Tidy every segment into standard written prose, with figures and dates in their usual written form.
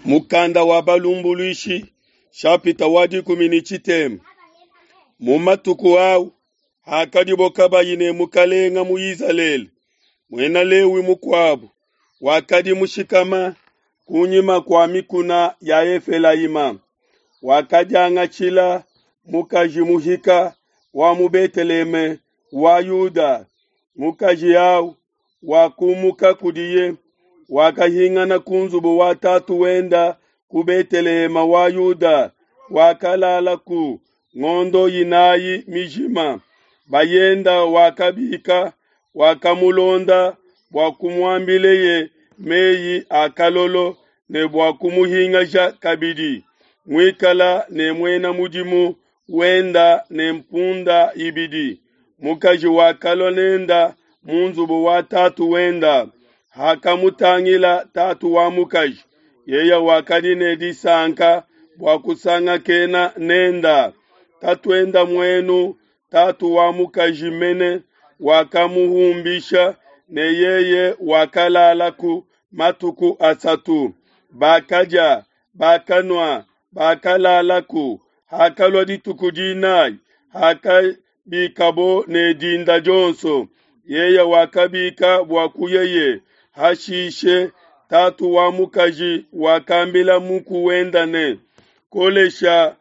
Mukanda wa Balumbuluishi shapita wa dikumi ne tshitema. Mu matuku au hakadibo kabayi ne mukalenga mu Izalele, muena Lewi mukuabo wakadi mushikama kunyima kua mikuna ya Efelayima, wakadiangatshila mukaji muhika wa mu Beteleheme wa Yuda. Mukaji au wakumuka kudiye, wakahingana ku nzubu wa tatu wenda ku Beteleheme wa Yuda, wakalalaku ngondo inayi mijima. Bayenda wakabika, wakamulonda bua kumuambileye meyi a kalolo ne bua kumuhingaja kabidi, muikala ne muena mudimu wenda ne mpunda ibidi. Mukaji wakalua nenda mu nzubu wa tatu wenda. Hakamutangila tatu wa mukaji, yeye wakadi ne disanka bua kusangakena nenda. Tatuenda muenu, tatu wa mukaji mene, wakamuhumbisha ne yeye wakalalaku matuku asatu. Bakadia, bakanua, bakalalaku. Hakalua dituku dinayi, hakabikabo ne dinda dionso, yeye wakabika bua kuyeye. Hashishe tatu wa mukaji wakambila muku wenda ne, Kolesha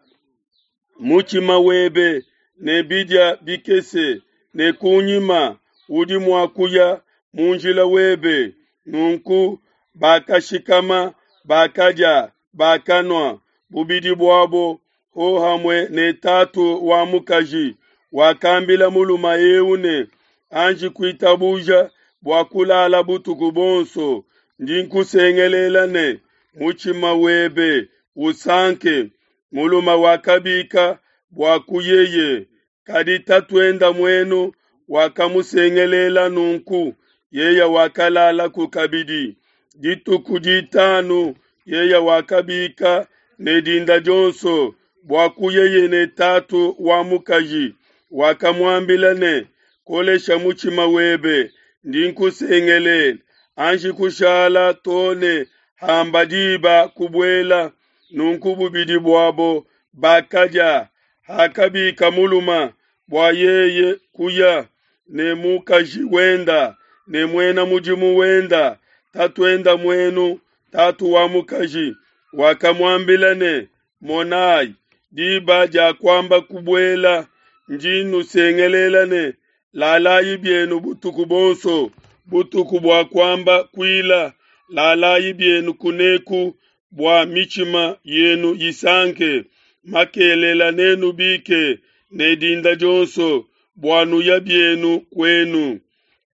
mutshima webe ne bidia bikese, ne kunyima udi mua kuya mu njila webe. Nunku bakashikama, bakadia, bakanua, bubidi buabo hohamue ne tatu wa mukaji. Wakambila mulume eu ne, Anji kuitabuja bua kulala butuku buonso, ndi nkusengelela ne, mutshima webe usanke. Mulume wakabika bua kuyeye, kadi tatuenda muenu wakamusengelela nunku, yeye wakalalaku kabidi. Dituku ditanu yeye wakabika ne dinda dionso bua kuyeye ne tatu wa mukaji. Wakamuambila ne, Kolesha mutshima webe, ndi nkusengelela, anji kushala too ne hamba diba kubuela. Nunku bubidi buabo bakadia. Hakabika mulume bua yeye kuya ne mukaji wenda ne muena mudimu wenda, tatuenda muenu, tatu wa mukaji, wakamuambila ne, Monayi, diba dia kuamba kubuela, ndi nnusengelela ne, lalayi bienu butuku buonso, butuku bua kuamba kuila, lalayi bienu kuneku bua mitshima yenu isanke. Makelela nenubike ne dinda dionso bua nuya bienu kuenu.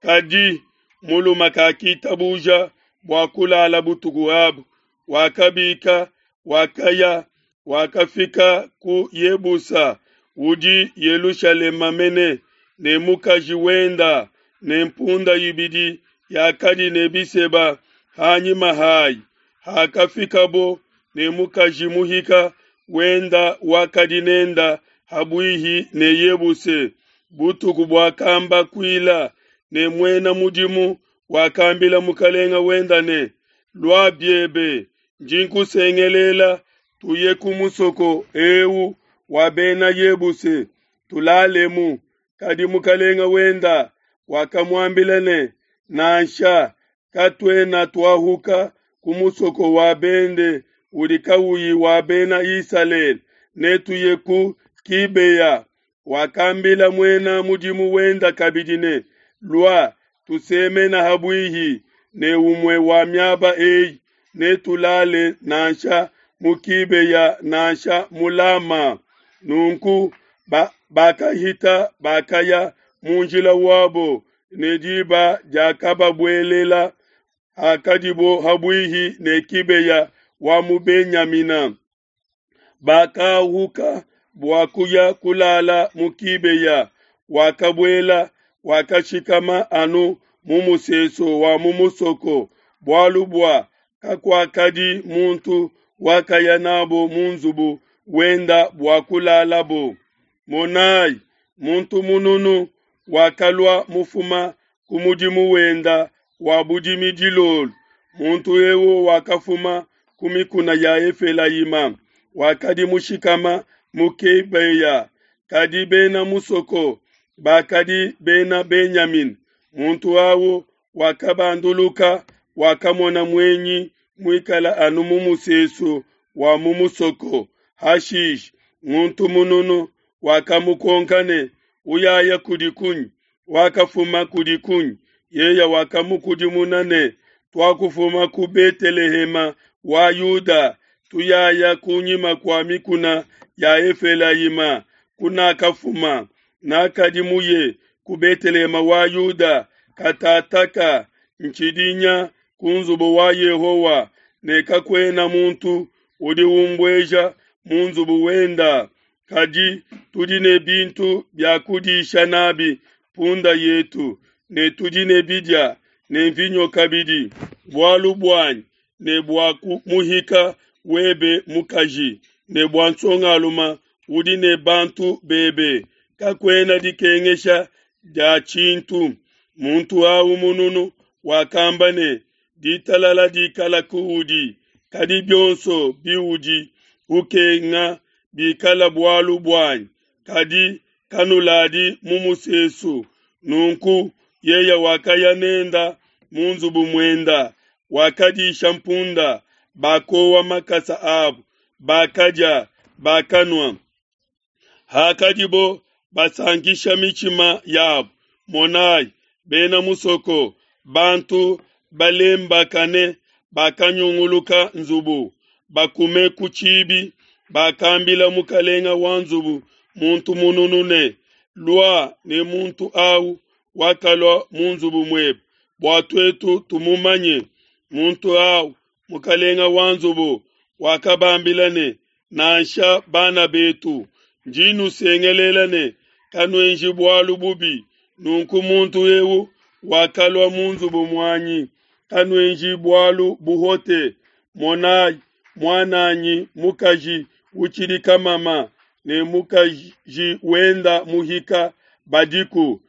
Kadi mulume kakitabuja bua kulala butuku abu, wakabika, wakaya, wakafika ku Yebusa, udi Yelushalema mene, ne mukaji wenda ne mpunda ibidi yakadi ne biseba hanyima hayi. Hakafikabo ne mukaji muhika wenda wakadi nenda habuihi ne Yebuse, butuku buakamba kuila, ne muena mudimu wakambila mukalenga wenda ne, Lua biebe, ndi nkusengelela, tuye ku musoko eu wa bena Yebuse, tulalemu. Kadi mukalenga wenda wakamuambila ne, Nansha, katuena tuahuka ku musoko wa bende udi kauyi wa bena Isalele, netuye ku Kibeya. Wakambila muena mudimu wenda kabidi ne, Lua, tusemena habuihi ne umue wa miaba eyi, netulale nansha mu Kibeya nansha mu Lama. Nunku bakahita bakaya mu njila wabo, ne diba diakababuelela hakadibo habuihi ne Kibeya wa mu Benyamina. Bakahuka bua kuya kulala mu Kibeya. Wakabuela, wakashikama anu mu musesu wa mu musoko, bualu bua kakuakadi muntu wakaya nabo mu nzubu wenda bua kulalabo. Monayi, muntu mununu wakalua mufuma ku mudimu wenda wa budimi dilolo. Muntu eu wakafuma ku mikuna ya Efelayima, wakadi mushikama mu Gibeya, kadi bena musoko bakadi bena Benyamina. Muntu au wakabanduluka, wakamona muenyi muikala anu mu musesu wa mu musoko. Hashishe muntu mununu wakamukonka ne, Uyaya kudi kunyi? Wakafuma kudi kunyi? Yeye wakamukudimuna ne, Tuakufuma ku Betelehema wa Yuda, tuyaya kunyima kua mikuna ya Efelayima kunakafuma. Nakadi muye ku Betelehema wa Yuda, katataka ntshidi nya ku nzubu wa Yehowa, ne kakuena muntu udi umbueja mu nzubu wenda. Kadi tudi ne bintu bia kudisha nabi mpunda yetu, ne tudi ne bidia ne mvinyo kabidi, bualu buanyi ne bua muhika webe mukaji, ne bua nsongalume udi ne bantu bebe, kakuena dikengesha dia tshintu. Muntu au mununu wakamba ne, Ditalala dikala kuudi, kadi bionso biudi ukenga bikala bualu buanyi, kadi kanuladi mu musesu. Nunku yeye wakaya nenda mu nzubu muenda, wakadisha mpunda, bakowa makasa abo, bakadia, bakanua. Hakadibo basankisha mitshima yabo, monai, bena musoko, bantu balembakane, bakanyunguluka nzubu, bakume ku tshibi, bakambila mukalenga wa nzubu muntu mununu ne, Lua ne muntu au wakalua mu nzubu muebe, bua tuetu tumumanye. Muntu au, mukalenga wa nzubu, wakabambila ne, Nansha bana betu, ndi nusengelela ne, Kanuenji bualu bubi nunku muntu eu wakalua mu nzubu muanyi, kanuenji bualu buhote. Monai, muan'anyi mukaji utshidi kamama ne mukaji wenda muhika badiku,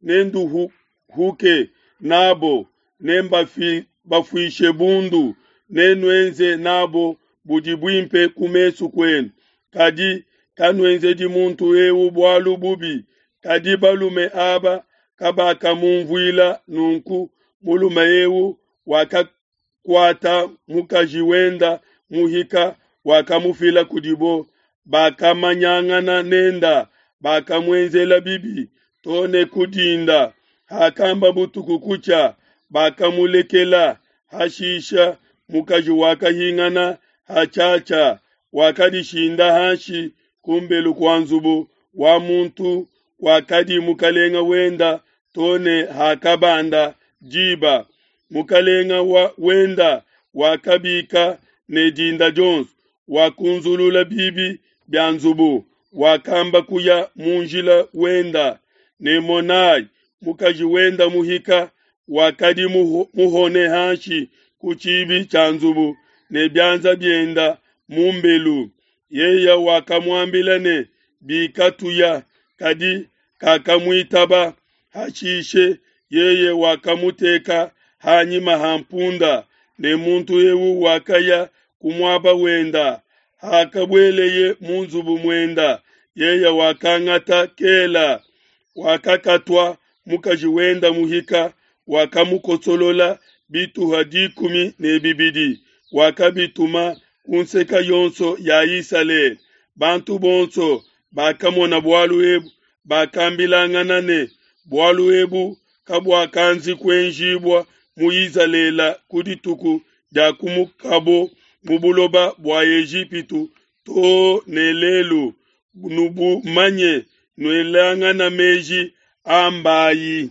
nenduhuke n'abo, nembafuishe bundu, nenuenze n'abo budi buimpe ku mesu kuenu. Kadi kanuenzedi muntu eu bualu bubi. Kadi balume aba kabakamumvuila nunku mulume eu wakakuata mukaji wenda muhika, wakamufila kudibo, bakamanyangana nenda, bakamuenzela bibi to ne ku dinda. Hakamba butuku kutshia, bakamulekela. Hashisha mukaji wakahingana hatshiatshia, wakadishinda hanshi ku mbelu kua nzubu wa muntu wakadi mukalenga wenda to ne hakabanda diba. Mukalenga wa wenda wakabika ne dinda dionso, wakunzulula bibi bia nzubu, wakamba kuya mu njila wenda. Ne monai, mukaji wenda muhika wakadi muhone hanshi ku tshibi tshia nzubu ne bianza bienda mu mbelu. Yeye wakamuambila ne, Bika tuya, kadi kakamuitaba. Hashishe yeye wakamuteka hanyima ha mpunda, ne muntu eu wakaya ku muaba wenda. Hakabueleye mu nzubu muenda, yeye wakangata kela, wakakatua mukaji wenda muhika, wakamukosolola bituha 12, wakabituma ku nseke yonso ya Isalele. Bantu bonso bakamona bualu ebu, bakambilangana ne, Bualu ebu kabuakanzi kuenjibua mu Isalele ku dituku dia kumukabo mu buloba bua Ejipitu to ne lelu. Nubumanye, nuelangana meji ambayi.